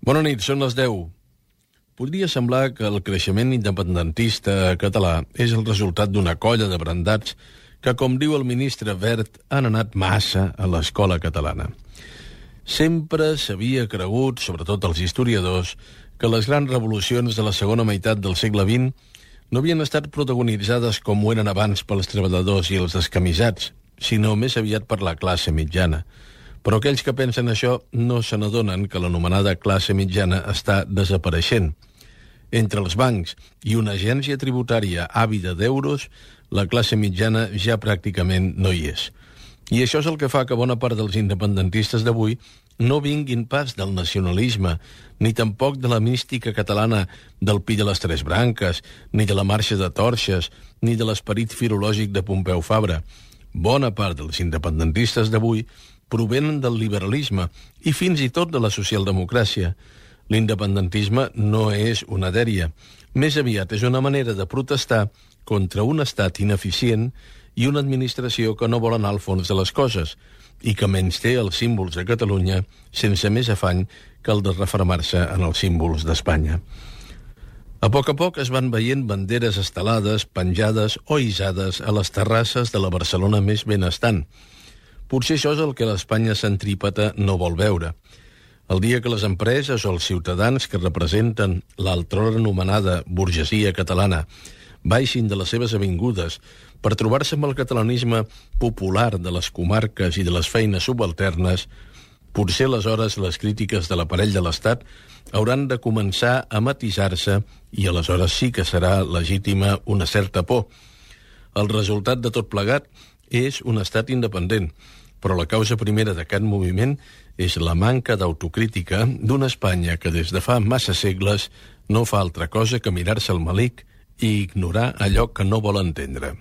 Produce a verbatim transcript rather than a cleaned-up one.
Bona nit, són les deu. Podria semblar que el creixement independentista català és el resultat d'una colla de brandats que, com diu el ministre Wert, han anat massa a l'escola catalana. Sempre s'havia cregut, sobretot els historiadors, que les grans revolucions de la segona meitat del segle vint no havien estat protagonitzades com ho eren abans pels treballadors i els descamisats, sinó més aviat per la classe mitjana. Però aquells que pensen això no se n'adonen que l'anomenada classe mitjana està desapareixent. Entre els bancs i una agència tributària àvida d'euros, la classe mitjana ja pràcticament no hi és. I això és el que fa que bona part dels independentistes d'avui no vinguin pas del nacionalisme, ni tampoc de la mística catalana del Pi de les Tres Branques, ni de la Marxa de Torxes, ni de l'esperit filològic de Pompeu Fabra. Bona part dels independentistes d'avui provenen del liberalisme i fins i tot de la socialdemocràcia. L'independentisme no és una dèria. Més aviat és una manera de protestar contra un estat ineficient i una administració que no vol anar al fons de les coses i que menysté els símbols de Catalunya sense més afany que el de refermar-se en els símbols d'Espanya. A poc a poc es van veient banderes estelades, penjades o hissades a les terrasses de la Barcelona més benestant. Potser això és el que l'Espanya centrípeta no vol veure. El dia que les empreses o els ciutadans que representen l'altrora anomenada burgesia catalana baixin de les seves avingudes per trobar-se amb el catalanisme popular de les comarques i de les feines subalternes, potser aleshores les crítiques de l'aparell de l'Estat hauran de començar a matisar-se i aleshores sí que serà legítima una certa por. El resultat de tot plegat és un estat independent, però la causa primera d'aquest moviment és la manca d'autocrítica d'una Espanya que des de fa massa segles no fa altra cosa que mirar-se al melic i ignorar allò que no vol entendre.